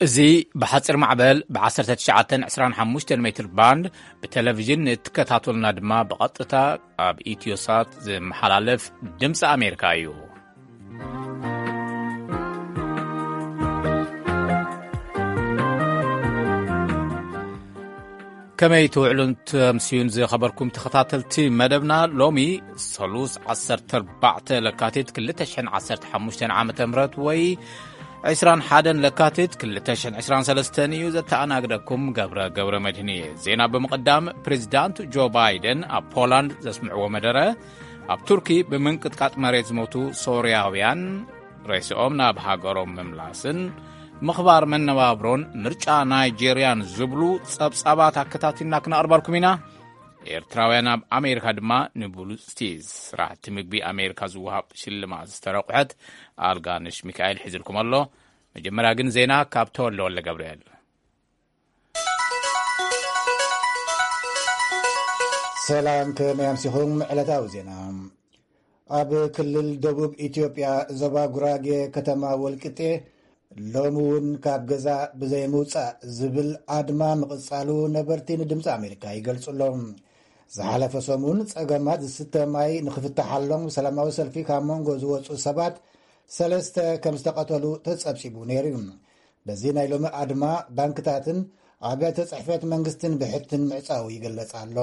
እዚ ብሓጺር ማዕበል ብ1925 ሜትር ባንድ ብቴሌቪዥን እትከታተሉና ድማ ብቐጥታ ኣብ ኢትዮሳት ዝመሓላለፍ ድምፂ ኣሜሪካ እዩ። ከመይ ትውዕሉን ተምስዩን ዝኸበርኩም ተኸታተልቲ መደብና? ሎሚ ሰሉስ 14 ለካቲት 2015 ዓመተ ምህረት ወይ 21 ለካቲት 2023 እዩ። ዘተኣናግደኩም ገብረ ገብረ መድህን እየ። ዜና ብምቕዳም፣ ፕሬዚዳንት ጆ ባይደን ኣብ ፖላንድ ዘስምዕዎ መደረ፣ ኣብ ቱርኪ ብምንቅጥቃጥ መሬት ዝሞቱ ሶርያውያን ሬስኦም ናብ ሃገሮም ምምላስን ምኽባር መነባብሮን ምርጫ ናይጄርያን ዝብሉ ጸብጻባት ኣከታቲልና ክነቕርበልኩም ኢና። ኤርትራውያን ኣብ ኣሜሪካ ድማ ንብሉጽቲ ስራሕቲ ምግቢ ኣሜሪካ ዝወሃብ ሽልማት ዝተረቑሐት ኣልጋነሽ ሚካኤል ሒዝልኩም ኣሎ። መጀመርያ ግን ዜና ካብ ተወልደ ወልደ ገብርኤል። ሰላም፣ ከመይ ኣምሲኹም? ዕለታዊ ዜና። ኣብ ክልል ደቡብ ኢትዮጵያ ዞባ ጉራጌ ከተማ ወልቂጤ ሎሚ እውን ካብ ገዛ ብዘይ ምውጻእ ዝብል ኣድማ ምቕጻሉ ነበርቲ ንድምፂ ኣሜሪካ ይገልጹ ኣለዉ። ዝሓለፈ ሰሙን ጸገማት ዝስተ ማይ ንኽፍትሓሎም ሰላማዊ ሰልፊ ካብ መንጎ ዝወጹ ሰባት ሰለስተ ከም ዝተቐተሉ ተጸብጺቡ ነይሩ እዩ። በዚ ናይ ሎሚ ኣድማ ባንክታትን ኣብያተ ጽሕፈት መንግስትን ብሕትን ምዕጻው ይግለጽ ኣሎ።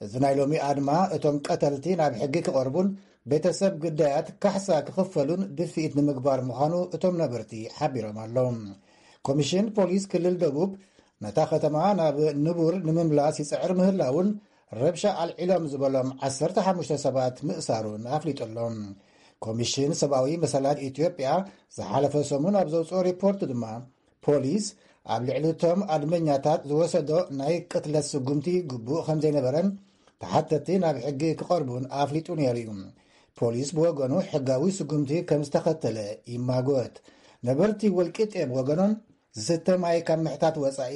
እዚ ናይ ሎሚ ኣድማ እቶም ቀተልቲ ናብ ሕጊ ክቐርቡን ቤተሰብ ግዳያት ካሕሳ ክኽፈሉን ድፍኢት ንምግባር ምዃኑ እቶም ነበርቲ ሓቢሮም ኣለዉ። ኮሚሽን ፖሊስ ክልል ደቡብ ነታ ከተማ ናብ ንቡር ንምምላስ ይጽዕር ምህላውን ረብሻ ኣልዒሎም ዝበሎም 15 ሰባት ምእሳሩን ኣፍሊጡ ኣሎ። ኮሚሽን ሰብኣዊ መሰላት ኢትዮጵያ ዝሓለፈ ሰሙን ኣብ ዘውፅኦ ሪፖርት ድማ ፖሊስ ኣብ ልዕሊ እቶም ኣድመኛታት ዝወሰዶ ናይ ቅትለት ስጉምቲ ግቡእ ከም ዘይነበረን ተሓተቲ ናብ ሕጊ ክቐርቡን ኣፍሊጡ ነይሩ እዩ። ፖሊስ ብወገኑ ሕጋዊ ስጉምቲ ከም ዝተኸተለ ይማጎት። ነበርቲ ወልቂጤ ብወገኖም ዝስተ ማይ ካብ ምሕታት ወጻኢ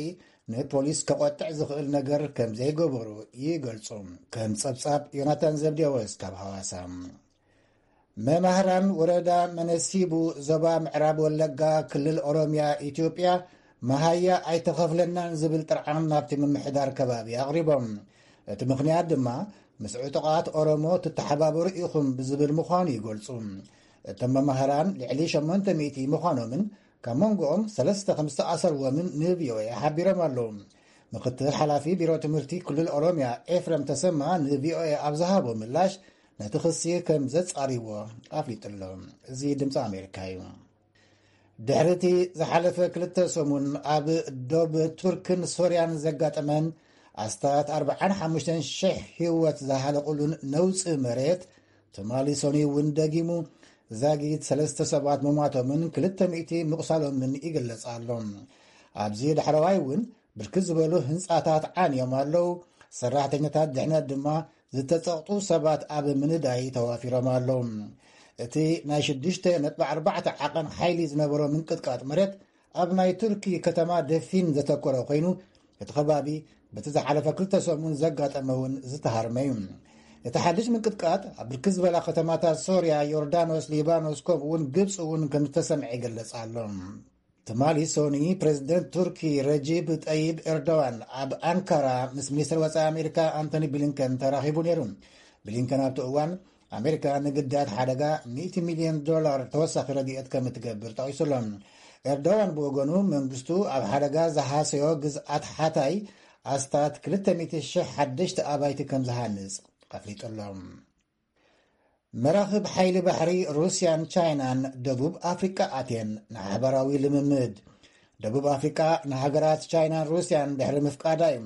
ንፖሊስ ከቖጥዕ ዝኽእል ነገር ከም ዘይገበሩ ይገልጹ። ከም ጸብጻብ ዮናታን ዘብዴዎስ ካብ ሃዋሳ። መማህራን ወረዳ መነሲቡ ዞባ ምዕራብ ወለጋ ክልል ኦሮሚያ ኢትዮጵያ መሃያ ኣይተኸፍለናን ዝብል ጥርዓን ናብቲ ምምሕዳር ከባቢ ኣቕሪቦም። እቲ ምኽንያት ድማ ምስ ዕጡቓት ኦሮሞ ትተሓባበሩ ኢኹም ብዝብል ምዃኑ ይገልጹ። እቶም መማህራን ልዕሊ 800 ምዃኖምን ካብ መንጎኦም ሰለስተ ከም ዝተኣሰርዎምን ን ቪ ኦ ኤ ሓቢሮም ኣለዉ። ምክትል ሓላፊ ቢሮ ትምህርቲ ክልል ኦሮሚያ ኤፍረም ተሰማ ን ቪ ኦ ኤ ኣብ ዝሃቦ ምላሽ ነቲ ክሲ ከም ዘጻርይዎ ኣፍሊጡ ኣሎ። እዚ ድምፂ ኣሜሪካ እዩ። ድሕሪ እቲ ዝሓለፈ ክልተ ሰሙን ኣብ ዶብ ቱርክን ሶርያን ዘጋጠመን ኣስታት 45,000 ህይወት ዝሃለቁሉን ነውፂ መሬት ትማሊ ሰኑይ እውን ደጊሙ ዛጊት ሰለስተ ሰባት ምሟቶምን 200 ምቑሳሎምን ይግለጽ ኣሎ። ኣብዚ ዳሕረዋይ እውን ብርክት ዝበሉ ህንጻታት ዓንዮም ኣለዉ። ሰራሕተኛታት ድሕነት ድማ ዝተጸቕጡ ሰባት ኣብ ምንዳይ ተዋፊሮም ኣለዉ። እቲ ናይ 6.4 ዓቐን ሓይሊ ዝነበሮ ምንቅጥቃጥ መሬት ኣብ ናይ ቱርኪ ከተማ ደፊን ዘተኮረ ኮይኑ፣ እቲ ከባቢ በቲ ዝሓለፈ ክልተ ሰሙን ዘጋጠመ እውን ዝተሃርመ እዩ። እቲ ሓድሽ ምንቅጥቃጥ ኣብ ብርክት ዝበላ ከተማታት ሶርያ፣ ዮርዳኖስ፣ ሊባኖስ፣ ከምኡ እውን ግብፂ እውን ከም ዝተሰምዐ ይገልጽ ኣሎ። ትማሊ ሶኒ ፕሬዚደንት ቱርኪ ረጂብ ጠይብ ኤርዶዋን ኣብ ኣንካራ ምስ ሚኒስትር ወፃኢ ኣሜሪካ ኣንቶኒ ብሊንከን ተራኺቡ ነይሩ። ብሊንከን ኣብቲ እዋን ኣሜሪካ ንግዳያት ሓደጋ 100 ሚልዮን ዶላር ተወሳኺ ረድኤት ከም እትገብር ጠቒሱ ኣሎ። ኤርዶዋን ብወገኑ መንግስቱ ኣብ ሓደጋ ዝሃሰዮ ግዝኣት ሓታይ ኣስታት 200,000 ሓደሽቲ ኣባይቲ ከም ዝሃንጽ ኣፍሊጡ ኣሎ። መራኽብ ሓይሊ ባሕሪ ሩስያን ቻይናን ደቡብ ኣፍሪቃ ኣትየን ንሓበራዊ ልምምድ። ደቡብ ኣፍሪቃ ንሃገራት ቻይናን ሩስያን ድሕሪ ምፍቃዳ እዩ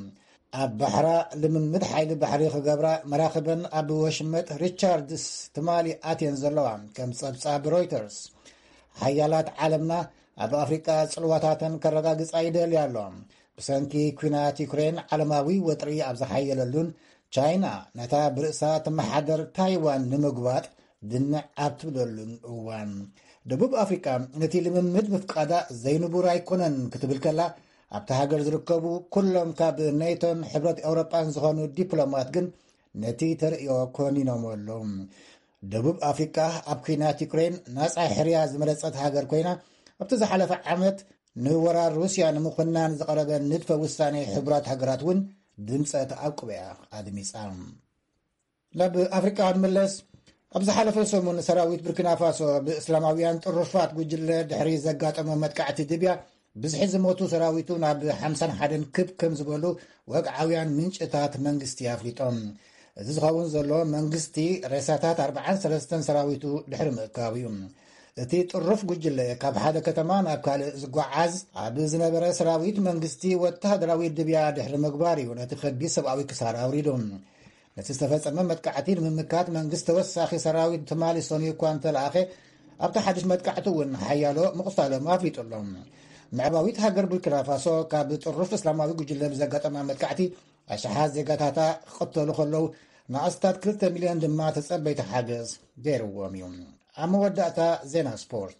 ኣብ ባሕራ ልምምድ ሓይሊ ባሕሪ ክገብራ መራኽበን ኣብ ወሽመጥ ሪቻርድስ ትማሊ ኣትየን ዘለዋ። ከም ጸብጻብ ሮይተርስ፣ ሓያላት ዓለምና ኣብ ኣፍሪቃ ጽልዋታተን ከረጋግጻ ይደልያ ኣለዋ። ብሰንኪ ኲናት ዩክሬን ዓለማዊ ወጥሪ ኣብ ዝሓየለሉን ቻይና ነታ ብርእሳ ትመሓደር ታይዋን ንምጉባጥ ድንዕ ኣብ ትብለሉን እዋን፣ ደቡብ ኣፍሪቃ ነቲ ልምምድ ምፍቃዳ ዘይንቡር ኣይኮነን ክትብል ከላ፣ ኣብታ ሃገር ዝርከቡ ኩሎም ካብ ኔቶን ሕብረት ኤውሮጳን ዝኾኑ ዲፕሎማት ግን ነቲ ተርእዮ ኮኒኖም ኣለዉ። ደቡብ ኣፍሪቃ ኣብ ኲናት ዩክሬን ናጻ ሕርያ ዝመረጸት ሃገር ኮይና፣ ኣብቲ ዝሓለፈ ዓመት ንወራር ሩስያ ንምኹናን ዝቐረበ ንድፈ ውሳኔ ሕቡራት ሃገራት እውን ድምጸ ተኣቅቦ እያ ኣድሚጻ። ናብ ኣፍሪቃ ክንምለስ፣ ኣብ ዝሓለፈ ሰሙን ሰራዊት ቡርኪና ፋሶ ብእስላማውያን ጥሩፋት ጉጅለ ድሕሪ ዘጋጠሞ መጥቃዕቲ ድብያ ብዝሒ ዝሞቱ ሰራዊቱ ናብ ሓምሳን ሓደን ክብ ከም ዝበሉ ወግዓውያን ምንጭታት መንግስቲ ኣፍሊጦም። እዚ ዝኸውን ዘሎ መንግስቲ ሬሳታት ኣርባዓን ሰለስተን ሰራዊቱ ድሕሪ ምእካቡ እዩ። እቲ ጥሩፍ ጉጅለ ካብ ሓደ ከተማ ናብ ካልእ ዝጓዓዝ ኣብ ዝነበረ ሰራዊት መንግስቲ ወተሃደራዊ ድብያ ድሕሪ ምግባር እዩ ነቲ ከቢድ ሰብኣዊ ክሳራ ኣውሪዱ። ነቲ ዝተፈጸመ መጥቃዕቲ ንምምካት መንግስቲ ተወሳኺ ሰራዊት ተማሊሶ ንዩ እኳ እንተለኣኸ፣ ኣብቲ ሓድሽ መጥቃዕቲ እውን ሓያሎ ምቕሳሎም ኣፍሊጡ ኣሎ። ምዕራባዊት ሃገር ቡርኪና ፋሶ ካብ ጥሩፍ እስላማዊ ጉጅለ ብዘጋጠማ መጥቃዕቲ ኣሽሓት ዜጋታታ ክቕተሉ ከለዉ፣ ንኣስታት ክልተ ሚልዮን ድማ ተጸበይቲ ሓገዝ ገይርዎም እዩ። ኣብ መወዳእታ ዜና ስፖርት።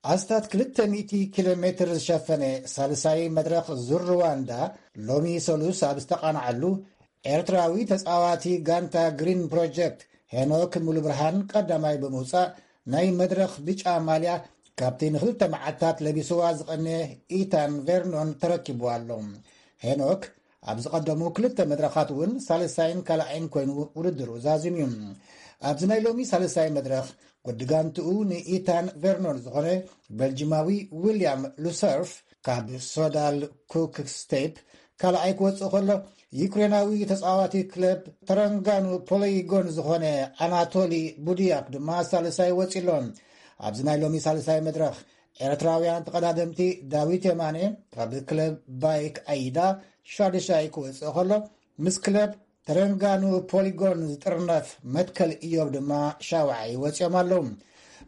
ኣስታት ክልተ ሚእቲ ኪሎ ሜትር ዝሸፈነ ሳልሳይ መድረኽ ዙር ሩዋንዳ ሎሚ ሰሉስ ኣብ ዝተቓንዓሉ፣ ኤርትራዊ ተጻዋቲ ጋንታ ግሪን ፕሮጀክት ሄኖክ ሙሉብርሃን ቀዳማይ ብምውጻእ፣ ናይ መድረኽ ብጫ ማልያ ካብቲ ንኽልተ መዓልታት ለቢስዋ ዝቐነ ኢታን ቬርኖን ተረኪቡ ኣሎ። ሄኖክ ኣብ ዝቐደሙ ክልተ መድረኻት እውን ሳልሳይን ካልኣይን ኮይኑ ውድድሩ ዛዚሙ እዩ። ኣብዚ ናይ ሎሚ ሳልሳይ መድረኽ፣ ወዲ ጋንትኡ ንኢታን ቬርኖን ዝኾነ በልጂማዊ ዊልያም ሉሰርፍ ካብ ሶዳል ኩክ ስቴፕ ካልኣይ ክወጽእ ከሎ፣ ዩክሬናዊ ተጻዋቲ ክለብ ተረንጋኑ ፖሊጎን ዝኾነ ኣናቶሊ ቡድያክ ድማ ሳልሳይ ወጺ ኣሎ። ኣብዚ ናይ ሎሚ ሳልሳይ መድረኽ፣ ኤርትራውያን ተቐዳደምቲ ዳዊት የማነ ካብ ክለብ ባይክ ኣይዳ ሻድሻይ ክወጽእ ከሎ፣ ምስ ክለብ ተረንጋኑ ፖሊጎን ዝጥርነፍ መትከል እዮብ ድማ ሻውዓይ ወጺኦም ኣለዉ።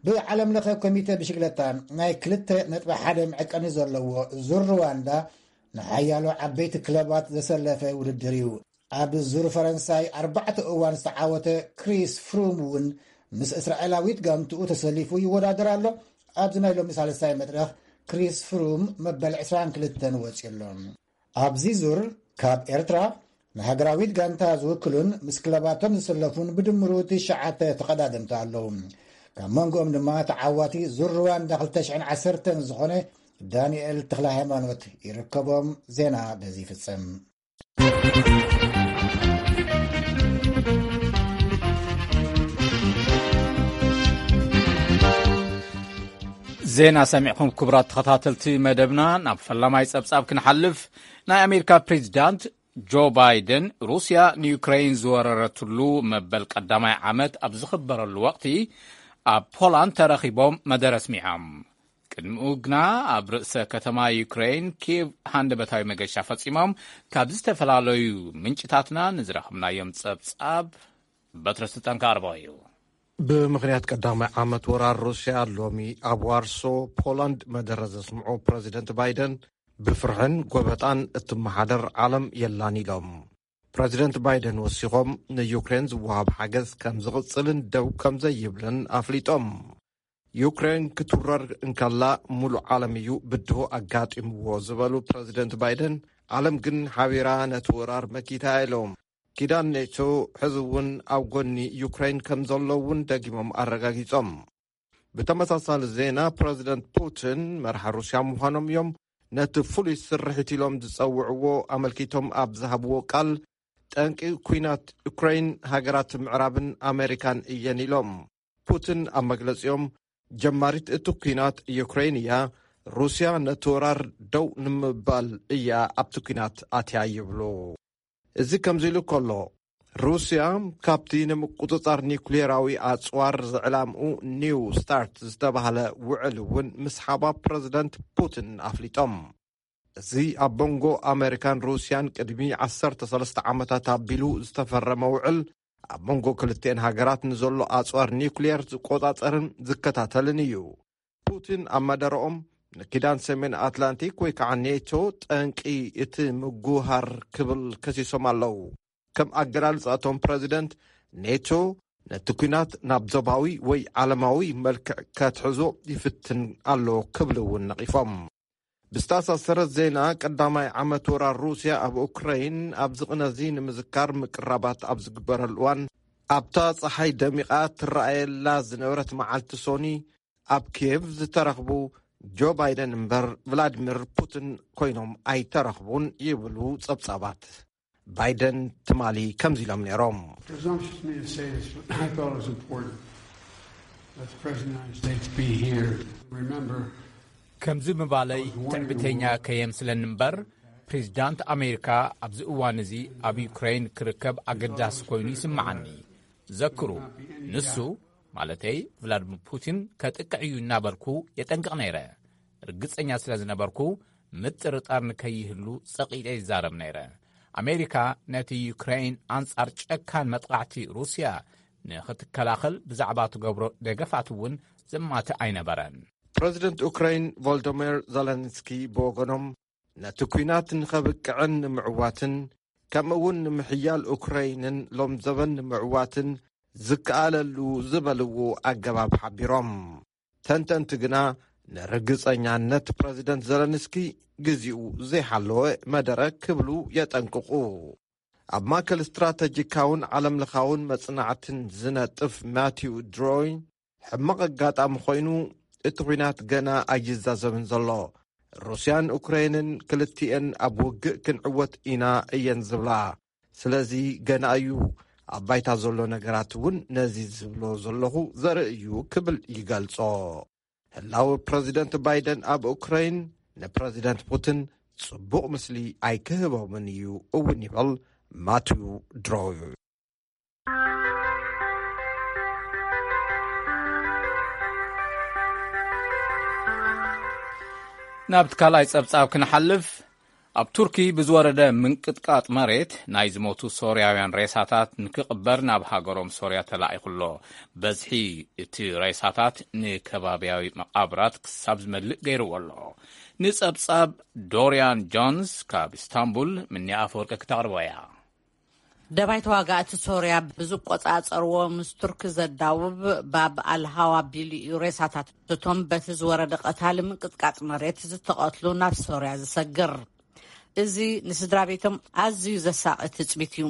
ብዓለም ለኸ ኮሚተ ብሽግለታ ናይ ክልተ ነጥቢ ሓደ መዐቀኒ ዘለዎ ዙር ሩዋንዳ ንሓያሎ ዓበይቲ ክለባት ዘሰለፈ ውድድር እዩ። ኣብ ዙር ፈረንሳይ ኣርባዕተ እዋን ዝተዓወተ ክሪስ ፍሩም እውን ምስ እስራኤላዊት ጋንትኡ ተሰሊፉ ይወዳደር ኣሎ። ኣብዚ ናይ ሎሚ ሳልሳይ መድረኽ ክሪስ ፍሩም መበል ዕስራን ክልተን ወጺኡ ኣሎ። ኣብዚ ዙር ካብ ኤርትራ ንሃገራዊት ጋንታ ዝውክሉን ምስ ክለባቶም ዝሰለፉን ብድምሩ ትሽዓተ ተቐዳደምቲ ኣለዉ። ካብ መንጎኦም ድማ ተዓዋቲ ዙር ሩዋንዳ ክልተ ሽሕን ዓሰርተን ዝኾነ ዳንኤል ተኽለ ሃይማኖት ይርከቦም። ዜና በዚ ይፍጸም። ዜና ሰሚዕኩም ክቡራት ተኸታተልቲ መደብና፣ ናብ ፈላማይ ጸብጻብ ክንሓልፍ። ናይ ኣሜሪካ ፕሬዚዳንት ጆ ባይደን ሩስያ ንዩክሬን ዝወረረትሉ መበል ቀዳማይ ዓመት ኣብ ዝኽበረሉ ወቕቲ ኣብ ፖላንድ ተረኺቦም መደረ ኣስሚዖም። ቅድሚኡ ግና ኣብ ርእሰ ከተማ ዩክሬን ኪየቭ ሃንደበታዊ መገሻ ፈጺሞም። ካብ ዝተፈላለዩ ምንጭታትና ንዝረኸብናዮም ጸብጻብ በትረ ስልጣን ክኣርቦ እዩ። ብምኽንያት ቀዳማይ ዓመት ወራር ሩስያ ሎሚ ኣብ ዋርሶ ፖላንድ መደረ ዘስምዑ ፕረዚደንት ባይደን፣ ብፍርሕን ጎበጣን እትመሓደር ዓለም የላን ኢሎም። ፕረዚደንት ባይደን ወሲኾም፣ ንዩክሬን ዝወሃብ ሓገዝ ከም ዝቕጽልን ደው ከም ዘይብልን ኣፍሊጦም። ዩክሬን ክትውረር እንከላ፣ ሙሉእ ዓለም እዩ ብድሆ ኣጋጢምዎ ዝበሉ ፕረዚደንት ባይደን፣ ዓለም ግን ሓቢራ ነቲ ወራር መኪታ ኢሎም። ኪዳን ኔቶ ሕዚ እውን ኣብ ጎኒ ዩክሬን ከም ዘሎ እውን ደጊሞም ኣረጋጊጾም። ብተመሳሳሊ ዜና፣ ፕረዚደንት ፑቲን መራሒ ሩስያ ምዃኖም እዮም ነቲ ፍሉይ ስርሒት ኢሎም ዝጸውዕዎ ኣመልኪቶም ኣብ ዝሃብዎ ቃል፣ ጠንቂ ኲናት ዩክሬን ሃገራት ምዕራብን ኣሜሪካን እየን ኢሎም። ፑቲን ኣብ መግለጺኦም፣ ጀማሪት እቲ ኲናት ዩክሬን እያ፣ ሩስያ ነቲ ወራር ደው ንምባል እያ ኣብቲ ኲናት ኣትያ ይብሉ። እዚ ከምዚ ኢሉ ከሎ፣ ሩስያ ካብቲ ንምቁጽጻር ኒውክሌራዊ ኣጽዋር ዝዕላምኡ ኒው ስታርት ዝተባህለ ውዕል እውን ምስሓባ ፕረዚደንት ፑቲን ኣፍሊጦም። እዚ ኣብ መንጎ ኣመሪካን ሩስያን ቅድሚ ዓሰርተ ሰለስተ ዓመታት ኣቢሉ ዝተፈረመ ውዕል፣ ኣብ መንጎ ክልቲኤን ሃገራት ንዘሎ ኣጽዋር ኒውክሌር ዝቆጻጸርን ዝከታተልን እዩ። ፑቲን ኣብ መደረኦም፣ ንኪዳን ሰሜን ኣትላንቲክ ወይ ከዓ ኔቶ ጠንቂ እቲ ምጉሃር ክብል ከሲሶም ኣለዉ። ከም ኣገላልጻ እቶም ፕረዚደንት፣ ኔቶ ነቲ ኲናት ናብ ዞባዊ ወይ ዓለማዊ መልክዕ ከትሕዞ ይፍትን ኣሎ ክብሉ እውን ነቒፎም። ብዝተኣሳሰረ ዜና፣ ቀዳማይ ዓመት ወራር ሩስያ ኣብ ኡክራይን ኣብዚ ቅነዚ ንምዝካር ምቅራባት ኣብ ዝግበረሉ እዋን፣ ኣብታ ጸሓይ ደሚቓ ትረኣየላ ዝነበረት መዓልቲ ሶኒ፣ ኣብ ኪየቭ ዝተረኽቡ ጆ ባይደን እምበር ቭላድሚር ፑቲን ኮይኖም ኣይተረኽቡን ይብሉ ጸብጻባት። ባይደን ትማሊ ከምዚ ኢሎም ነይሮም። Presumptuous me to say this, but I thought it was important that the President of the United States be here. Remember, ከምዚ ምባለይ ትዕቢተኛ ከየምስለኒ እምበር፣ ፕሬዚዳንት ኣሜሪካ ኣብዚ እዋን እዚ ኣብ ዩክሬን ክርከብ ኣገዳሲ ኮይኑ ይስምዓኒ። ዘክሩ፣ ንሱ ማለተይ ቭላድሚር ፑቲን ከጥቅዕ እዩ እናበልኩ የጠንቅቕ ነይረ። ርግጸኛ ስለ ዝነበርኩ፣ ምጥርጣር ንከይህሉ ጸቒጠ ይዛረብ ነይረ። ኣሜሪካ ነቲ ዩክሬን ኣንጻር ጨካን መጥቓዕቲ ሩስያ ንኽትከላኸል ብዛዕባ ትገብሮ ደገፋት እውን ዘማትእ ኣይነበረን። ፕረዚደንት ኡክራይን ቮልዶሚር ዘለንስኪ ብወገኖም፣ ነቲ ኲናት ንኸብቅዕን ንምዕዋትን ከምኡ እውን ንምሕያል ኡክራይንን ሎም ዘበን ንምዕዋትን ዝከኣለሉ ዝበልዎ ኣገባብ ሓቢሮም። ተንተንቲ ግና፣ ንርግጸኛነት ፕረዚደንት ዘለንስኪ ግዜኡ ዘይሓለወ መደረ ክብሉ የጠንቅቑ። ኣብ ማእከል ስትራተጂካውን ዓለምለኻውን መጽናዕትን ዝነጥፍ ማቲው ድሮይ፣ ሕማቕ ኣጋጣሚ ኮይኑ፣ እቲ ኲናት ገና ኣይዛዘምን ዘሎ። ሩስያን ኡክራይንን ክልቲኤን ኣብ ውግእ ክንዕወት ኢና እየን ዝብላ። ስለዚ ገና እዩ፣ ኣብ ባይታ ዘሎ ነገራት እውን ነዚ ዝብሎ ዘለኹ ዘርኢ እዩ ክብል ይገልጾ። ህላወ ፕረዚደንት ባይደን ኣብ ኡክራይን ንፕረዚደንት ፑቲን ጽቡቕ ምስሊ ኣይክህቦምን እዩ እውን ይብል ማቲው ድሮይ። ናብቲ ካልኣይ ጸብጻብ ክንሓልፍ፣ ኣብ ቱርኪ ብዝወረደ ምንቅጥቃጥ መሬት ናይ ዝሞቱ ሶርያውያን ሬሳታት ንክቕበር ናብ ሃገሮም ሶርያ ተላኢኹ ኣሎ። በዝሒ እቲ ሬሳታት ንከባብያዊ መቓብራት ክሳብ ዝመልእ ገይርዎ ኣሎ። ንጸብጻብ ዶርያን ጆንስ ካብ ኢስታንቡል ምኒ ኣፈወርቂ ክተቕርቦ እያ። ደባይ ተዋጋእቲ ሶርያ ብዝቆጻጸርዎ ምስ ቱርኪ ዘዳውብ ባብ ኣልሃዋ ቢሉ እዩ ሬሳታት እቶም በቲ ዝወረደ ቀታሊ ምንቅጥቃጥ መሬት ዝተቐትሉ ናብ ሶርያ ዝሰግር። እዚ ንስድራ ቤቶም ኣዝዩ ዘሳቒ ትጽቢት እዩ።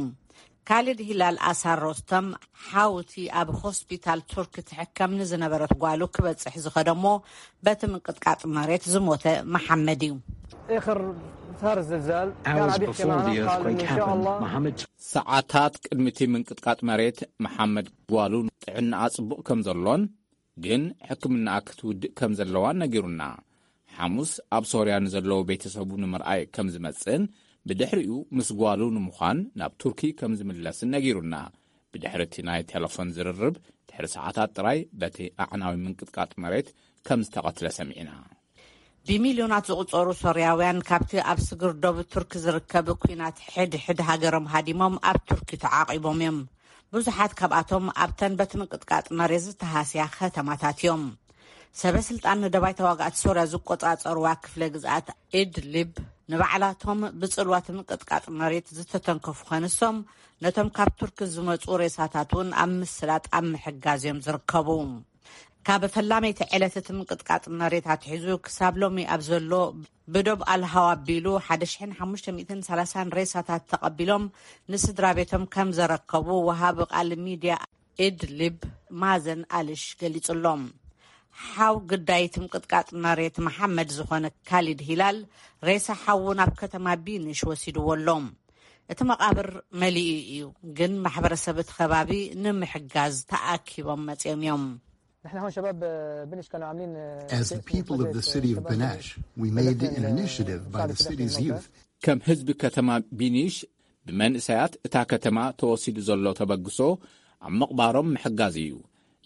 ካሊድ ሂላል ኣሳር ሮስተም፣ ሓውቲ ኣብ ሆስፒታል ቱርኪ ትሕከም ንዝነበረት ጓሉ ክበጽሕ ዝኸደሞ በቲ ምንቅጥቃጥ መሬት ዝሞተ መሓመድ እዩ። اخر صار الزلزال كان Hours عم يحكي before معنا the قال earthquake إنه إن شاء happened, الله Mohammed ሰዓታት ቅድሚ እቲ ምንቅጥቃጥ መሬት፣ መሓመድ ጓሉ ጥዕናኣ ጽቡቕ ከም ዘሎን ግን ሕክምናኣ ክትውድእ ከም ዘለዋን ነጊሩና። ሓሙስ ኣብ ሶርያ ንዘለዉ ቤተሰቡ ንምርኣይ ከም ዝመጽእን ብድሕሪኡ ምስ ጓሉ ንምዃን ናብ ቱርኪ ከም ዝምለስን ነጊሩና። ብድሕሪ እቲ ናይ ቴሌፎን ዝርርብ ድሕሪ ሰዓታት ጥራይ በቲ ኣዕናዊ ምንቅጥቃጥ መሬት ከም ዝተቐትለ ሰሚዕና። ብሚልዮናት ዝቑጸሩ ሶርያውያን ካብቲ ኣብ ስግር ዶብ ቱርኪ ዝርከብ ኲናት ሕድ ሕድ ሃገሮም ሃዲሞም ኣብ ቱርኪ ተዓቒቦም እዮም። ብዙሓት ካብኣቶም ኣብተን በቲ ምንቅጥቃጥ መሬት ዝተሃስያ ከተማታት እዮም። ሰበ ስልጣን ንደባይ ተዋጋእቲ ሶርያ ዝቆጻጸርዋ ክፍለ ግዝኣት ኢድሊብ ንባዕላቶም ብጽልዋት ምንቅጥቃጥ መሬት ዝተተንከፉ ከንሶም፣ ነቶም ካብ ቱርኪ ዝመጹ ሬሳታት እውን ኣብ ምስላጥ ኣብ ምሕጋዝ እዮም ዝርከቡ። ካብ ፈላመይቲ ዕለት እቲ ምንቅጥቃጥ መሬት ኣትሒዙ ክሳብ ሎሚ ኣብ ዘሎ ብዶብ ኣልሃዋ ኣቢሉ ሓደ ሽሕን ሓሙሽተ ሚእትን ሰላሳን ሬሳታት ተቐቢሎም ንስድራ ቤቶም ከም ዘረከቡ ወሃቢ ቃል ሚድያ ኢድሊብ ማዘን ኣልሽ ገሊጹ ኣሎ። ሓው ግዳይ እቲ ምንቅጥቃጥ መሬት መሓመድ ዝኾነ ካሊድ ሂላል ሬሳ ሓዉ ናብ ከተማ ቢንሽ ወሲድዎ ኣሎ። እቲ መቓብር መሊኡ እዩ፣ ግን ማሕበረሰብ እቲ ከባቢ ንምሕጋዝ ተኣኪቦም መጺኦም እዮም። نحن هون شباب بنش كانوا عاملين As the people of the city of Benash, we made an initiative by the city's youth ከም ህዝቢ ከተማ ቢኒሽ ብመንእሰያት እታ ከተማ ተወሲዱ ዘሎ ተበግሶ ኣብ ምቕባሮም ምሕጋዝ እዩ።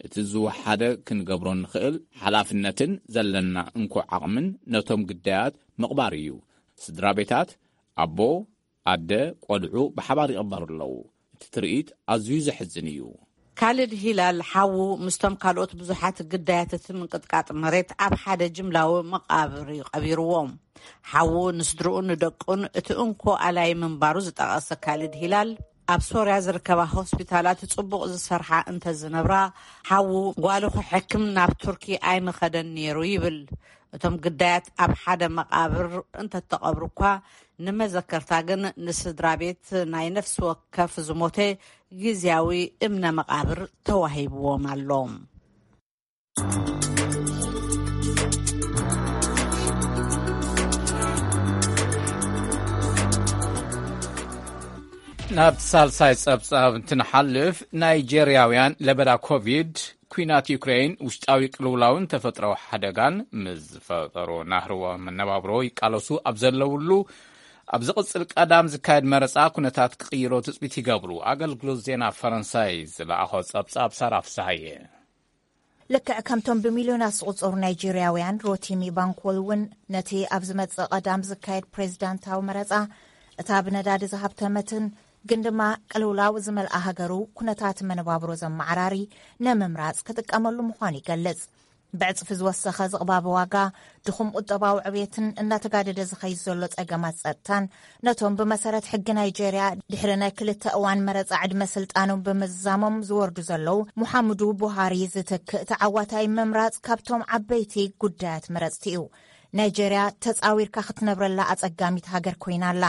እቲ ዝወሓደ ክንገብሮ ንኽእል ሓላፍነትን ዘለና እንኮ ዓቕምን ነቶም ግዳያት ምቕባር እዩ። ስድራ ቤታት፣ ኣቦ፣ ኣደ፣ ቆልዑ ብሓባር ይቕበሩ ኣለዉ። እቲ ትርኢት ኣዝዩ ዘሕዝን እዩ። ካልድ ሂላል ሓዉ ምስቶም ካልኦት ብዙሓት ግዳያት እቲ ምንቅጥቃጥ መሬት ኣብ ሓደ ጅምላዊ መቓብር እዩ ቀቢርዎም። ሓዉ ንስድርኡን ንደቁን እቲ እንኮ ኣላይ ምንባሩ ዝጠቐሰ ካልድ ሂላል፣ ኣብ ሶርያ ዝርከባ ሆስፒታላት ጽቡቕ ዝሰርሓ እንተ ዝነብራ፣ ሓዉ ጓሉ ክሕክም ናብ ቱርኪ ኣይምኸደን ነይሩ ይብል። እቶም ግዳያት ኣብ ሓደ መቓብር እንተተቐብሩ እኳ፣ ንመዘከርታ ግን ንስድራ ቤት ናይ ነፍሲ ወከፍ ዝሞተ ግዝያዊ እምነ መቓብር ተዋሂብዎም ኣሎ። ናብ ሳልሳይ ጸብጻብ እንትንሓልፍ፣ ናይጄርያውያን ለበዳ ኮቪድ፣ ኲናት ዩክሬን፣ ውሽጣዊ ቅልውላውን ተፈጥሮዊ ሓደጋን ምስ ዝፈጠሩ ናህርዎ መነባብሮ ይቃለሱ ኣብ ዘለውሉ፣ ኣብ ዝቕጽል ቀዳም ዝካየድ መረጻ ኩነታት ክቕይሮ ትጽቢት ይገብሩ። ኣገልግሎት ዜና ፈረንሳይ ዝለኣኾ ጸብጻብ ሳራ ፍስሃየ። ልክዕ ከምቶም ብሚልዮናት ዝቑጸሩ ናይጄርያውያን፣ ሮቲሚ ባንኮል እውን ነቲ ኣብ ዝመጽእ ቀዳም ዝካየድ ፕሬዝዳንታዊ መረጻ፣ እታ ብነዳዲ ዝሃብተመትን ግን ድማ ቅልውላው ዝመልኣ ሃገሩ ኩነታት መነባብሮ ዘመዓራሪ ንምምራጽ ክጥቀመሉ ምዃኑ ይገልጽ። ብዕጽፊ ዝወሰኸ ዝቕባበ ዋጋ፣ ድኹም ቁጠባዊ ዕብየትን እናተጋደደ ዝኸይድ ዘሎ ጸገማት ጸጥታን፣ ነቶም ብመሰረት ሕጊ ናይጄርያ ድሕሪ ናይ ክልተ እዋን መረጻ ዕድመ ስልጣኖም ብምዝዛሞም ዝወርዱ ዘለዉ ሙሓምዱ ቡሃሪ ዝትክእ ተዓዋታይ ምምራጽ ካብቶም ዓበይቲ ጉዳያት መረጽቲ እዩ። ናይጄርያ ተጻዊርካ ክትነብረላ ኣጸጋሚት ሃገር ኮይና ኣላ።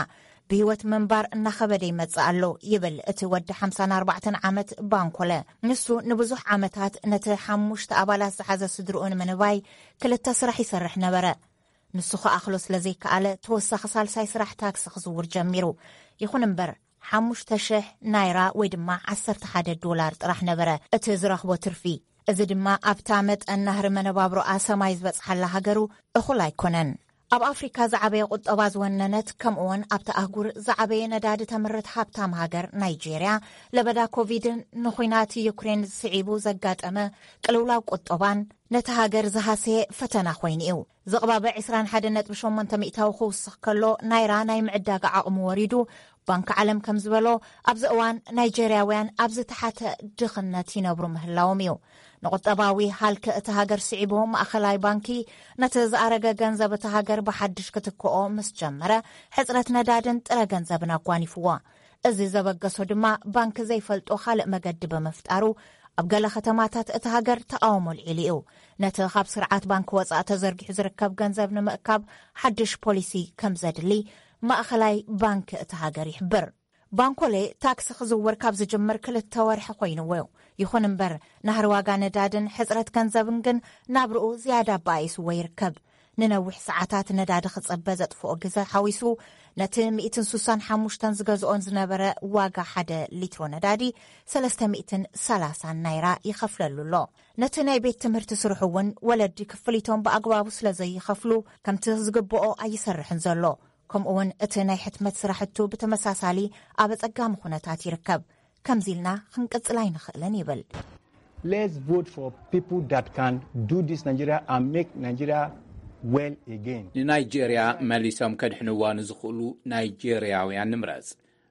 ብህይወት ምንባር እናኸበደ ይመጽእ ኣሎ፣ ይብል እቲ ወዲ ሓምሳን ኣርባዕተን ዓመት ባንኮለ። ንሱ ንብዙሕ ዓመታት ነቲ ሓሙሽተ ኣባላት ዝሓዘ ስድርኡ ንምንባይ ክልተ ስራሕ ይሰርሕ ነበረ። ንሱ ክኣኽሎ ስለ ዘይከኣለ፣ ተወሳኺ ሳልሳይ ስራሕ ታክሲ ክዝውር ጀሚሩ። ይኹን እምበር፣ ሓሙሽተ ሽሕ ናይራ ወይ ድማ ዓሰርተ ሓደ ዶላር ጥራሕ ነበረ እቲ ዝረኽቦ ትርፊ። እዚ ድማ ኣብታ መጠን ናህሪ መነባብሮኣ ሰማይ ዝበጽሓላ ሃገሩ እኹል ኣይኮነን። ኣብ ኣፍሪካ ዝዓበየ ቁጠባ ዝወነነት፣ ከምኡውን ኣብታ ኣህጉር ዝዓበየ ነዳዲ ተምርት ሃብታም ሃገር ናይጄርያ፣ ለበዳ ኮቪድን ንኹናት ዩክሬን ስዒቡ ዘጋጠመ ቅልውላው ቁጠባን ነቲ ሃገር ዝሃሰየ ፈተና ኮይኑ እዩ። ዝቕባበ ዕስራን ሓደን ነጥቢ ሸሞንተ ሚእታዊ ክውስኽ ከሎ፣ ናይራ ናይ ምዕዳጋ ዓቕሚ ወሪዱ። ባንክ ዓለም ከም ዝበሎ፣ ኣብዚ እዋን ናይጄርያውያን ኣብ ዝተሓተ ድኽነት ይነብሩ ምህላዎም እዩ። ንቁጠባዊ ሃልኪ እቲ ሃገር ስዒቡ፣ ማእኸላይ ባንኪ ነቲ ዝኣረገ ገንዘብ እቲ ሃገር ብሓድሽ ክትክኦ ምስ ጀመረ፣ ሕጽረት ነዳድን ጥረ ገንዘብን ኣጓኒፍዎ። እዚ ዘበገሶ ድማ፣ ባንክ ዘይፈልጦ ካልእ መገዲ ብምፍጣሩ፣ ኣብ ገለ ከተማታት እቲ ሃገር ተቓውሞ ኣልዒሉ እዩ። ነቲ ካብ ስርዓት ባንክ ወጻኢ ተዘርጊሑ ዝርከብ ገንዘብ ንምእካብ ሓድሽ ፖሊሲ ከም ዘድሊ ማእኸላይ ባንክ እቲ ሃገር ይሕብር። ባንኮሌ ታክሲ ክዝውር ካብ ዝጅምር ክልተ ወርሒ ኮይንዎ። ይኹን እምበር፣ ናህሪ ዋጋ ነዳድን ሕጽረት ገንዘብን ግን ናብርኡ ዝያዳ ኣባኣይስዎ ይርከብ። ንነዊሕ ሰዓታት ነዳዲ ክጽበ ዘጥፍኦ ግዘ ሓዊሱ፣ ነቲ ሚእትን ሱሳን ሓሙሽተን ዝገዝኦን ዝነበረ ዋጋ ሓደ ሊትሮ ነዳዲ ሰለስተ ሚእትን ሰላሳን ናይራ ይኸፍለሉ ኣሎ። ነቲ ናይ ቤት ትምህርቲ ስርሑ እውን፣ ወለዲ ክፍሊቶም ብኣግባቡ ስለ ዘይኸፍሉ፣ ከምቲ ዝግብኦ ኣይሰርሕን ዘሎ። ከምኡ እውን እቲ ናይ ሕትመት ስራሕቱ ብተመሳሳሊ ኣብ ኣጸጋሚ ኩነታት ይርከብ። ከምዚ ኢልና ክንቅጽል ኣይንኽእልን ይብል። Let's vote for people that can do this Nigeria and make Nigeria well again. ንናይጄርያ መሊሶም ከድሕንዋ ንዝኽእሉ ናይጄርያውያን ንምረጽ።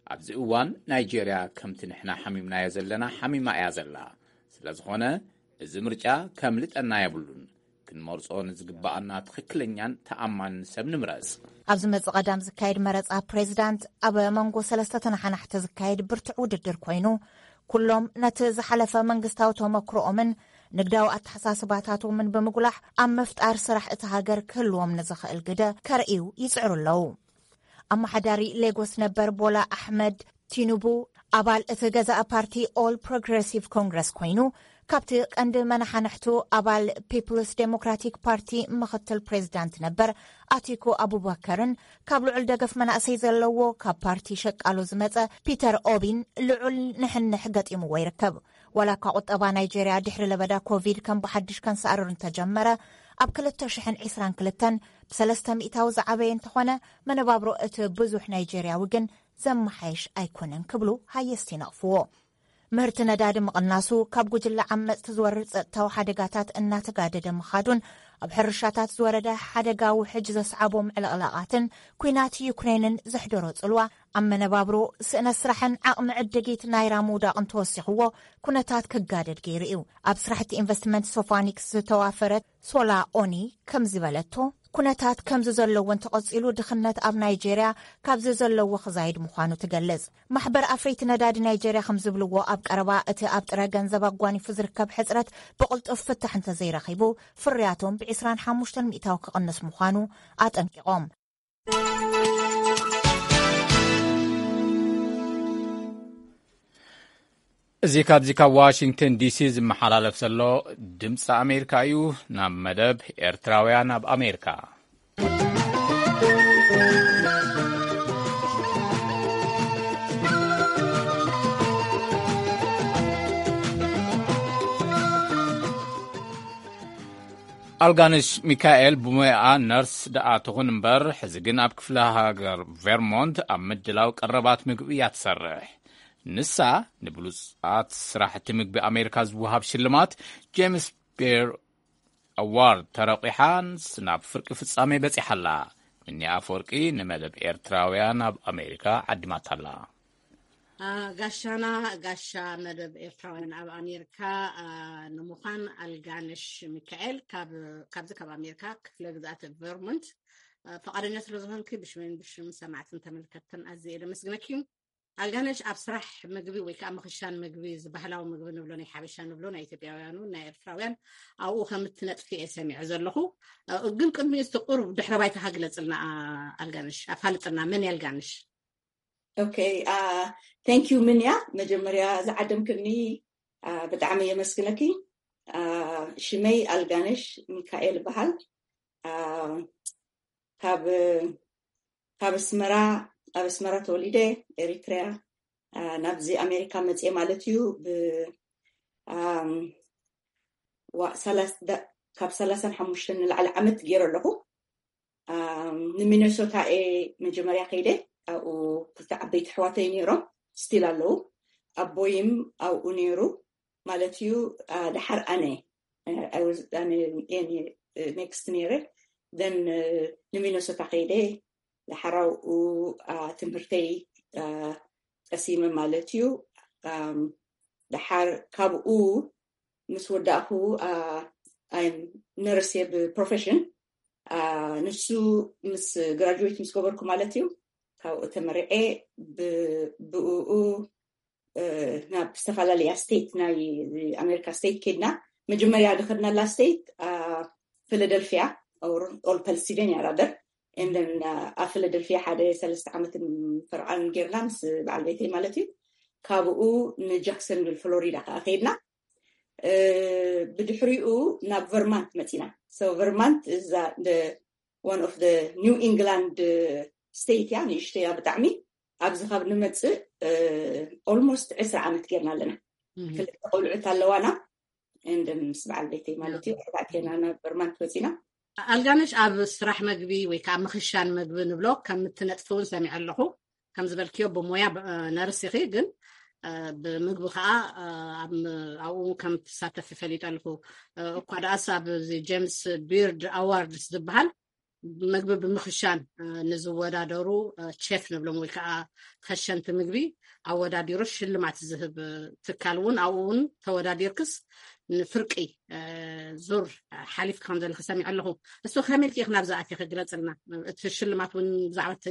ኣብዚ እዋን ናይጄርያ ከምቲ ንሕና ሓሚምናዮ ዘለና ሓሚማ እያ ዘላ። ስለ ዝኾነ፣ እዚ ምርጫ ከምልጠና የብሉን። ክንመርጾ ንዝግብኣና ትኽክለኛን ተኣማንን ሰብ ንምረጽ። ኣብ ዝመጽእ ቀዳም ዝካየድ መረጻ ፕሬዚዳንት፣ ኣብ መንጎ ሰለስተ ተነሓናሕቲ ዝካየድ ብርቱዕ ውድድር ኮይኑ፣ ኩሎም ነቲ ዝሓለፈ መንግስታዊ ተመክሮኦምን ንግዳዊ ኣተሓሳስባታቶምን ብምጉላሕ፣ ኣብ ምፍጣር ስራሕ እቲ ሃገር ክህልዎም ንዝኽእል ግደ ከርእዩ ይጽዕሩ ኣለዉ። ኣመሓዳሪ ሌጎስ ነበር ቦላ ኣሕመድ ቲኑቡ፣ ኣባል እቲ ገዛኢ ፓርቲ ኦል ፕሮግረሲቭ ኮንግረስ ኮይኑ፣ ካብቲ ቀንዲ መናሓንሕቱ ኣባል ፒፕልስ ዴሞክራቲክ ፓርቲ ምኽትል ፕሬዚዳንት ነበር ኣቲኩ ኣቡበከርን፣ ካብ ልዑል ደገፍ መናእሰይ ዘለዎ ካብ ፓርቲ ሸቃሎ ዝመጸ ፒተር ኦቢን ልዑል ንሕንሕ ገጢምዎ ይርከብ። ዋላ እኳ ቁጠባ ናይጄርያ ድሕሪ ለበዳ ኮቪድ ከም ብሓድሽ ከንሰኣርር እንተጀመረ፣ ኣብ ክልተ ሽሕን ዕስራን ክልተን ብሰለስተ ሚእታዊ ዝዓበየ እንተኾነ፣ መነባብሮ እቲ ብዙሕ ናይጄርያዊ ግን ዘመሓየሽ ኣይኮነን ክብሉ ሃየስቲ ይነቕፍዎ። ምህርቲ ነዳዲ ምቕናሱ፣ ካብ ጉጅለ ዓመጽቲ ዝወርድ ጸጥታዊ ሓደጋታት እናተጋደደ ምኻዱን፣ ኣብ ሕርሻታት ዝወረደ ሓደጋ ውሕጅ ዘስዓቦም ዕልቕላቓትን፣ ኲናት ዩክሬንን ዘሕደሮ ጽልዋ፣ ኣብ መነባብሮ፣ ስእነት ስራሕን ዓቕሚ ዕድጊት ናይራ ምውዳቕን ተወሲኽዎ፣ ኩነታት ክጋደድ ገይሩ እዩ። ኣብ ስራሕቲ ኢንቨስትመንት ሶፋኒክስ ዝተዋፈረት ሶላ ኦኒ ከምዚ በለቶ፣ ኩነታት ከምዚ ዘለዎ እንተቐጺሉ፣ ድኽነት ኣብ ናይጄርያ ካብዚ ዘለዎ ክዛይድ ምዃኑ ትገልጽ። ማሕበር ኣፍረይቲ ነዳዲ ናይጄርያ ከም ዝብልዎ፣ ኣብ ቀረባ እቲ ኣብ ጥረ ገንዘብ ኣጓኒፉ ዝርከብ ሕጽረት ብቕልጡፍ ፍታሕ እንተዘይረኺቡ፣ ፍርያቶም ብዕስራን ሓሙሽተን ሚእታዊ ክቕንስ ምዃኑ ኣጠንቂቖም። እዚ ካብዚ ካብ ዋሽንግተን ዲሲ ዝመሓላለፍ ዘሎ ድምፂ ኣሜሪካ እዩ። ናብ መደብ ኤርትራውያን ኣብ ኣሜሪካ። ኣልጋንሽ ሚካኤል ብሞያኣ ነርስ ደኣ ትኹን እምበር፣ ሕዚ ግን ኣብ ክፍለ ሃገር ቬርሞንት ኣብ ምድላው ቀረባት ምግቢ እያ ትሰርሕ። ንሳ ንብሉጻት ስራሕቲ ምግቢ ኣሜሪካ ዝወሃብ ሽልማት ጄምስ ቤር ኣዋርድ ተረቂሓን ናብ ፍርቂ ፍጻሜ በጺሓ ኣላ። ምኒ ኣፈወርቂ ንመደብ ኤርትራውያን ኣብ ኣሜሪካ ዓዲማታ ኣላ። ጋሻና፣ ጋሻ መደብ ኤርትራውያን ኣብ ኣሜሪካ ንምዃን ኣልጋነሽ ሚካኤል ካብዚ ካብ ኣሜሪካ ክፍለ ግዝኣት ቨርሞንት ፈቓደኛ ስለ ዝኾንኪ ብሽመን ብሽም ሰማዕትን ተመልከትን ኣዝየ ደመስግነኪ። ኣልጋነሽ፣ ኣብ ስራሕ ምግቢ ወይ ከዓ ምኽሻን ምግቢ፣ እዚ ባህላዊ ምግቢ ንብሎ፣ ናይ ሓበሻ ንብሎ፣ ናይ ኢትዮጵያውያኑ ናይ ኤርትራውያን፣ ኣብኡ ከም እትነጥፊ እየ ሰሚዐ ዘለኹ። ግን ቅድሚ እቲ ቁሩብ ድሕረ ባይታ ግለጽልና። ኣልጋነሽ፣ ኣፋልጥና፣ መን ኣልጋነሽ? ኦኬ፣ thank you ምንያ፣ መጀመርያ ዝዓደምክኒ ብጣዕሚ የመስግነኪ። ሽመይ ኣልጋነሽ ሚካኤል ይበሃል። ካብ ካብ ኣስመራ፣ ኣብ ኣስመራ ተወሊደ፣ ኤሪትሪያ ናብዚ ኣሜሪካ መፅየ ማለት እዩ። ካብ ሰላሳን ሓሙሽተን ንላዕሊ ዓመት ገይረ ኣለኹ። ንሚነሶታ እየ መጀመርያ ከይደ። ኣብኡ ክልተ ዓበይቲ ኣሕዋተይ ነይሮም፣ ስቲል ኣለዉ። ኣቦይም ኣብኡ ነይሩ ማለት እዩ። ደሓር ኣነ ኔክስት ነይረ። ን ንሚነሶታ ከይደ፣ ደሓር ኣብኡ ትምህርተይ ቀሲመ ማለት እዩ። ደሓር ካብኡ ምስ ወዳእኩ፣ ነርስ እየ ብፕሮፌሽን። ንሱ ምስ ግራጁዌት ምስ ገበርኩ ማለት እዩ፣ ካብኡ ተመሪዐ። ብእኡ ናብ ዝተፈላለያ ስቴት ናይ ኣሜሪካ ስቴት ከድና። መጀመርያ ዝኸድናላ ስቴት ፊላደልፊያ፣ ኦል ፐንስልቬንያ ራደር። ኤንደን ኣብ ፊላደልፊያ ሓደ ሰለስተ ዓመትን ፈርቓን ጌርና ምስ በዓል ቤተይ ማለት እዩ። ካብኡ ንጃክሰንቪል ፍሎሪዳ ከዓ ከይድና። ብድሕሪኡ ናብ ቨርማንት መፂና። ቨርማንት እዛ one of the New England ስቴት እያ፣ ንእሽተያ ብጣዕሚ። ኣብዚ ካብ ንመፅእ ኦልሞስት ዕስራ ዓመት ጌርና ኣለና። ክልተ ቆልዑት ኣለዋና። ኤንደን ምስ በዓል ቤተይ ማለት እዩ፣ ኣርባዕቴና ናብ ቨርማንት መፂና። ኣልጋነሽ፣ ኣብ ስራሕ መግቢ ወይ ከዓ ምኽሻን መግቢ ንብሎ ከም እትነጥፊ እውን ሰሚዐ ኣለኹ። ከም ዝበልክዮ ብሞያ ነርስ ኢኺ፣ ግን ብምግቢ ከዓ ኣብኡ ከም ትሳተፊ ፈሊጠ ኣለኹ። እኳ ደኣስ ኣብ ጄምስ ቢርድ ኣዋርድስ ዝበሃል መግቢ ብምኽሻን ንዝወዳደሩ ቼፍ ንብሎም ወይ ከዓ ከሸንቲ ምግቢ ኣወዳዲሩ ሽልማት ዝህብ ትካል እውን ኣብኡ እውን ተወዳዲርክስ ንፍርቂ ዙር ሓሊፍ ከም ዘለኺ ሰሚዐ ኣለኹ። እሱ ከመይ ኢልኪ ኢኺ ናብዚ ኣቲኺ? ግለፅልና። እቲ ሽልማት እውን ብዛዕባ እቲ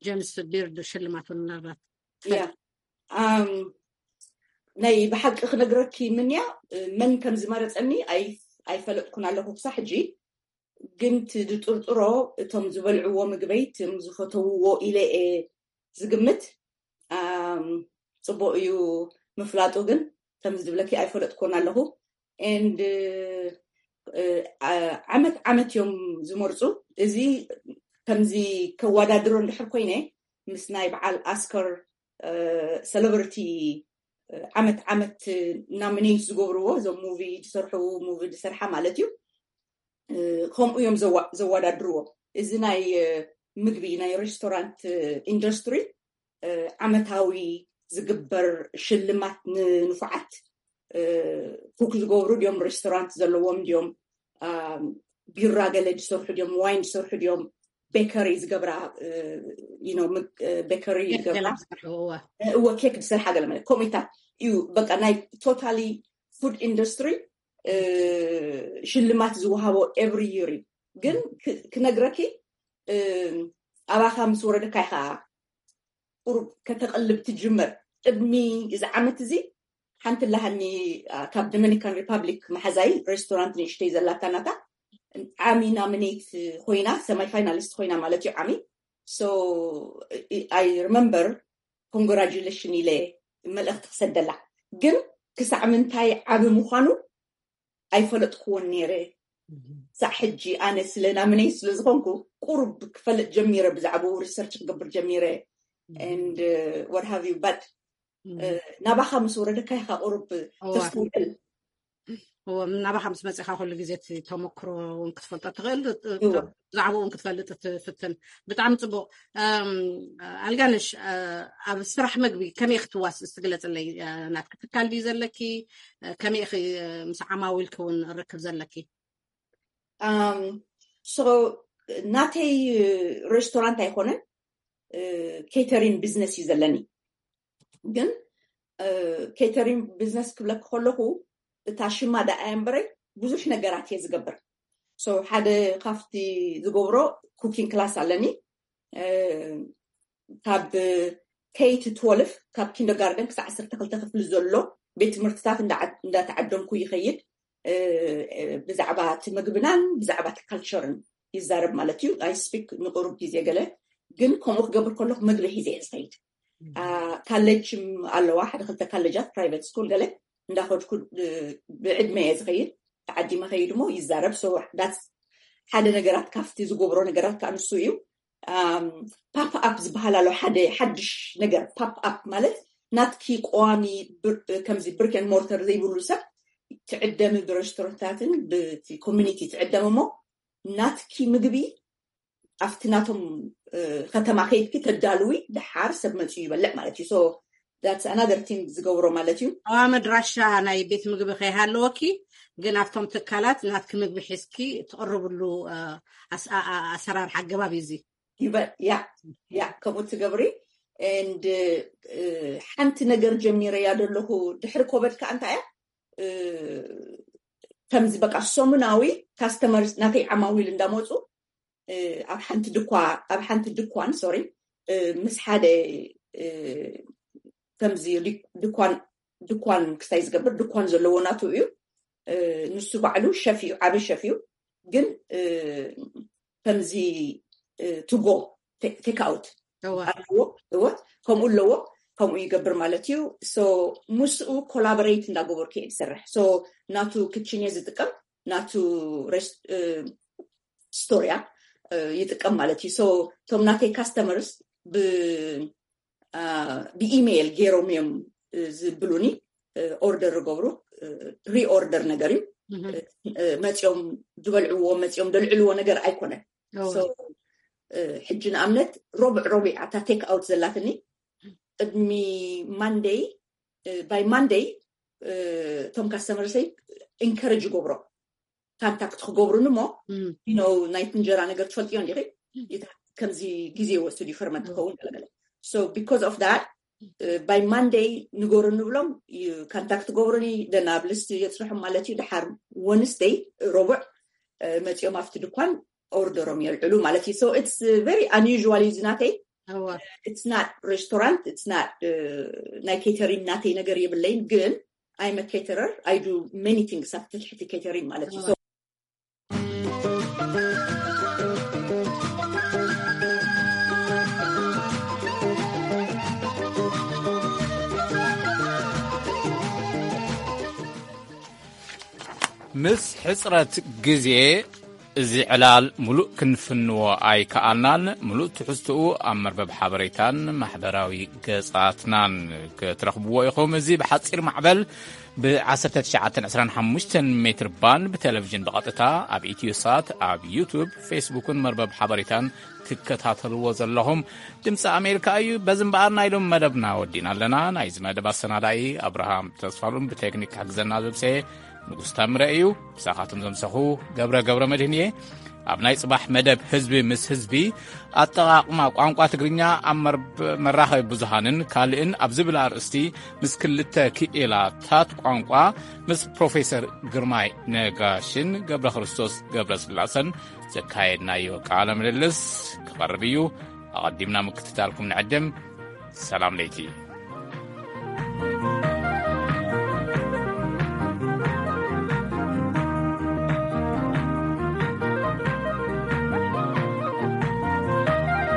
ጄምስ ቢርድ ሽልማት እውን ምናልባት ናይ ብሓቂ ክነግረኪ ምንያ፣ መን ከም ዝመረፀኒ ኣይፈለጥኩን ኣለኹ ክሳብ ሕጂ። ግን እቲ ዝጥርጥሮ እቶም ዝበልዕዎ ምግበይ፣ እቶም ዝፈተውዎ ኢለ እየ ዝግምት። ፅቡቅ እዩ ምፍላጡ፣ ግን ከምዚ ዝብለኪ ኣይፈለጥኩን ኣለኹ። ኤንድ ዓመት ዓመት እዮም ዝመርፁ። እዚ ከምዚ ከወዳድሮ እንድሕር ኮይነ ምስ ናይ በዓል ኣስከር ሰለብሪቲ ዓመት ዓመት ናሚኔት ዝገብርዎ፣ እዞም ሙቪ ዝሰርሑ፣ ሙቪ ዝሰርሓ ማለት እዩ። ከምኡ እዮም ዘወዳድርዎ። እዚ ናይ ምግቢ፣ ናይ ሬስቶራንት ኢንዱስትሪ ዓመታዊ ዝግበር ሽልማት ንንፉዓት ኩክ ዝገብሩ ድዮም፣ ሬስቶራንት ዘለዎም ድዮም፣ ቢራ ገለ ዝሰርሑ ድዮም፣ ዋይን ዝሰርሑ ድዮም፣ ቤከሪ ዝገብራ፣ ቤከሪ ዝገብራ፣ እወ፣ ኬክ ዝሰርሓ ገለ ማለት ከምኡታት እዩ። በቃ ናይ ቶታሊ ፉድ ኢንዱስትሪ ሽልማት ዝወሃቦ ኤቭሪ ይር እዩ። ግን ክነግረኪ፣ ኣባኻ ምስ ወረደካ ኢኻ ቁሩብ ከተቐልብ ትጅምር። ቅድሚ እዚ ዓመት እዚ ሓንቲ ላሃኒ ካብ ዶሚኒካን ሪፓብሊክ መሓዛይ ሬስቶራንት ንእሽተይ ዘላታ ናታ፣ ዓሚ ናሚኔት ኮይና፣ ሰማይ ፋይናሊስት ኮይና ማለት እዩ። ዓሚ ሶ ኣይ ሪመምበር ኮንግራጁሌሽን ኢለ መልእኽቲ ክሰደላ፣ ግን ክሳዕ ምንታይ ዓቢ ምዃኑ ኣይፈለጥኩዎን ነይረ። ክሳዕ ሕጂ ኣነ ስለ ናምነይ ስለ ዝኾንኩ ቁሩብ ክፈልጥ ጀሚረ፣ ብዛዕባኡ ሪሰርች ክገብር ጀሚረ። And what have you, but ናባኻ ምስ ወረደካ ኢኻ ቁሩብ ተስተውዕል። ናባኻ ምስ መፅኻ ኩሉ ግዜ እቲ ተመክሮ እውን ክትፈልጦ ትኽእል። ብዛዕባኡ እውን ክትፈልጥ ትፍትን። ብጣዕሚ ፅቡቅ። ኣልጋነሽ፣ ኣብ ስራሕ መግቢ ከመይ ክትዋስ? እስቲ ግለፅለይ። ናትኪ ትካል ድዩ ዘለኪ? ከመይ ኢኺ ምስ ዓማዊልኪ እውን ርክብ ዘለኪ? ሶ ናተይ ሬስቶራንት ኣይኮነን፣ ኬተሪን ቢዝነስ እዩ ዘለኒ። ግን ኬተሪን ቢዝነስ ክብለክ ከለኹ እታ ሽማ ደኣ እምበረይ ብዙሕ ነገራት እየ ዝገብር። ሶ ሓደ ካብቲ ዝገብሮ ኩኪንግ ክላስ ኣለኒ። ካብ ኬይ ቱ ትወልፍ፣ ካብ ኪንደርጋርደን ክሳብ ዓሰርተ ክልተ ክፍሊ ዘሎ ቤት ትምህርትታት እንዳተዓደምኩ ይኸይድ። ብዛዕባ እቲ ምግብናን ብዛዕባ እቲ ካልቸርን ይዛረብ ማለት እዩ። ኣይ ስፒክ ንቁሩብ ግዜ ገለ ግን ከምኡ ክገብር ከለኩ ምግቢ ሒዘ እየ ዝኸይድ። ካለጅ ኣለዋ፣ ሓደ ክልተ ካለጃት ፕራይቨት ስኩል ገለ እንዳኸድኩ ብዕድመ እየ ዝኸይድ። ተዓዲመ ኸይድ ሞ ይዛረብ። ሓደ ነገራት ካብቲ ዝገብሮ ነገራት ከዓ ንሱ እዩ። ፓፕ ኣፕ ዝበሃል ኣሎ። ሓደ ሓድሽ ነገር ፓፕ ኣፕ ማለት ናትኪ ቀዋሚ ከምዚ ብሪክ ን ሞርተር ዘይብሉ ሰብ ትዕደሚ ብሬስቶራንታትን ብቲ ኮሚኒቲ ትዕደሚ እሞ ናትኪ ምግቢ ኣብቲ ናቶም ከተማ ከይድኪ ተዳልዊ፣ ድሓር ሰብ መፅኡ ይበልዕ ማለት እዩ። So that's another thing ዝገብሮ ማለት እዩ። ኣዋ መድራሻ ናይ ቤት ምግቢ ከይሃለወኪ ግን ኣብቶም ትካላት ናትኪ ምግቢ ሒዝኪ ትቕርብሉ ኣሰራርሓ ኣገባብ እዩ እዚ። ያ ያ ከምኡ ትገብሪ። And ሓንቲ ነገር ጀሚረያ ዘለኹ ድሕሪ ኮበድ ከዓ እንታይ እያ፣ ከምዚ በቃ ሰሙናዊ ካስተመርስ ናተይ ዓማዊል እንዳመፁ ኣብ ሓንቲ ድኳ ኣብ ሓንቲ ድኳን ሶሪ ምስ ሓደ ከምዚ ድኳን ድኳን ክስታይ ዝገብር ድኳን ዘለዎ ናቱ እዩ። ንሱ ባዕሉ ሸፍ እዩ፣ ዓቢ ሸፍ እዩ። ግን ከምዚ ቱጎ ቴክ ኣውት ኣለዎ። እወ ከምኡ ኣለዎ። ከምኡ ይገብር ማለት እዩ። So ምስኡ ኮላቦሬት እንዳገበርኩ እየ ዝሰርሕ። So ናቱ ክችን እየ ዝጥቀም፣ ናቱ ስቶርያ ይጥቀም ማለት እዩ። So እቶም ናተይ ካስተመርስ ብኢሜይል ገይሮም እዮም ዝብሉኒ። ኦርደር ዝገብሩ ፕሪ ኦርደር ነገር እዩ። መፂኦም ዝበልዕዎ መፂኦም ዘልዕልዎ ነገር ኣይኮነን። ሕጂ ንኣብነት ሮብዕ ሮቢዕ ኣታ ቴክ ኣውት ዘላትኒ ቅድሚ ማንደይ ባይ ማንደይ እቶም ካስተመርሰይ ኢንከረጅ ይገብሮ ካንታክት ክገብሩኒ እሞ ኖ ናይቲ እንጀራ ነገር ትፈልጥዮ እንዲኺ ከምዚ ግዜ ይወስድ እዩ ፈርመንት ክኸውን ገለገለ። So because of that ባይ ማንደይ ንገሩ ንብሎም ካንታክት ገብሩኒ ደና ኣብ ልስቲ የፅንሖም ማለት እዩ። ድሓር ወንስደይ ረቡዕ መፂኦም ኣብቲ ድኳን ኦርደሮም የልዕሉ ማለት እዩ። So it's very unusual እዩ ዝናተይ። It's not restaurant, it's not ናይ ኬተሪን ናተይ ነገር የብለይን ግን I'm a caterer, I do many things ኣብ ትሕቲ ኬተሪን ማለት እዩ። ምስ ሕጽረት ግዜ እዚ ዕላል ምሉእ ክንፍንዎ ኣይከኣልናን። ምሉእ ትሕዝትኡ ኣብ መርበብ ሓበሬታን ማሕበራዊ ገጻትናን ክትረኽብዎ ኢኹም። እዚ ብሓጺር ማዕበል ብ1925 ሜትር ባንድ ብቴሌቪዥን ብቐጥታ ኣብ ኢትዮሳት፣ ኣብ ዩቱብ፣ ፌስቡክን መርበብ ሓበሬታን ትከታተልዎ ዘለኹም ድምፂ ኣሜሪካ እዩ። በዚ እምበኣር ናይ ሎም መደብና ወዲና ኣለና። ናይዚ መደብ ኣሰናዳኢ ኣብርሃም ተስፋሉን ብቴክኒክ ክሕግዘና ዘብሰየ ንጉስ ታምረ እዩ። ብሳኻትም ዘምሰኹ ገብረ ገብረ መድህን እየ። ኣብ ናይ ጽባሕ መደብ ህዝቢ ምስ ህዝቢ ኣጠቓቕማ ቋንቋ ትግርኛ ኣብ መራኸቢ ብዙሃንን ካልእን ኣብ ዝብል ኣርእስቲ ምስ ክልተ ክኢላታት ቋንቋ ምስ ፕሮፌሰር ግርማይ ነጋሽን ገብረ ክርስቶስ ገብረ ስላሰን ዘካየድናዮ ቃለ ምልልስ ክቐርብ እዩ። ኣቐዲምና ምክትታልኩም ንዕድም። ሰላም ለይቲ።